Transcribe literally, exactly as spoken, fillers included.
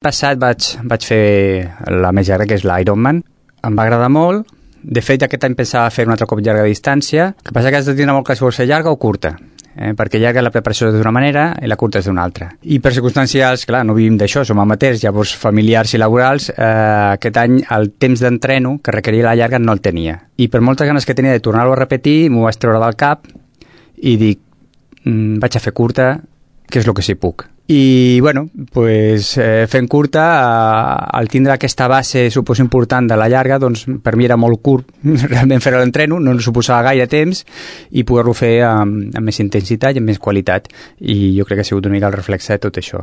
passat vaig, vaig fer la més llarga, que és l'Ironman. Em va agradar molt. De fet, aquest any pensava fer un altre cop llarga distància. El que passa que has de tenir molt clar si vols fer llarga o curta. Eh, perquè llarga la preparació és d'una manera i la curta és d'una altra. I per circumstàncies, clar, no vivim d'això, som amateurs, llavors familiars i laborals, eh, aquest any el temps d'entreno que requeria la llarga no el tenia. I per moltes ganes que tenia de tornar-ho a repetir, m'ho vaig treure del cap i dic, mm, vaig a fer curta, que és el que sí puc. I, bueno, pues, eh, fent curta, eh, al tindre aquesta base, suposo, important de la llarga, doncs per mi era molt curt realment fer l'entreno, no suposava gaire temps i poder-lo fer amb, amb més intensitat i amb més qualitat. I jo crec que ha sigut una mica el reflexe de tot això.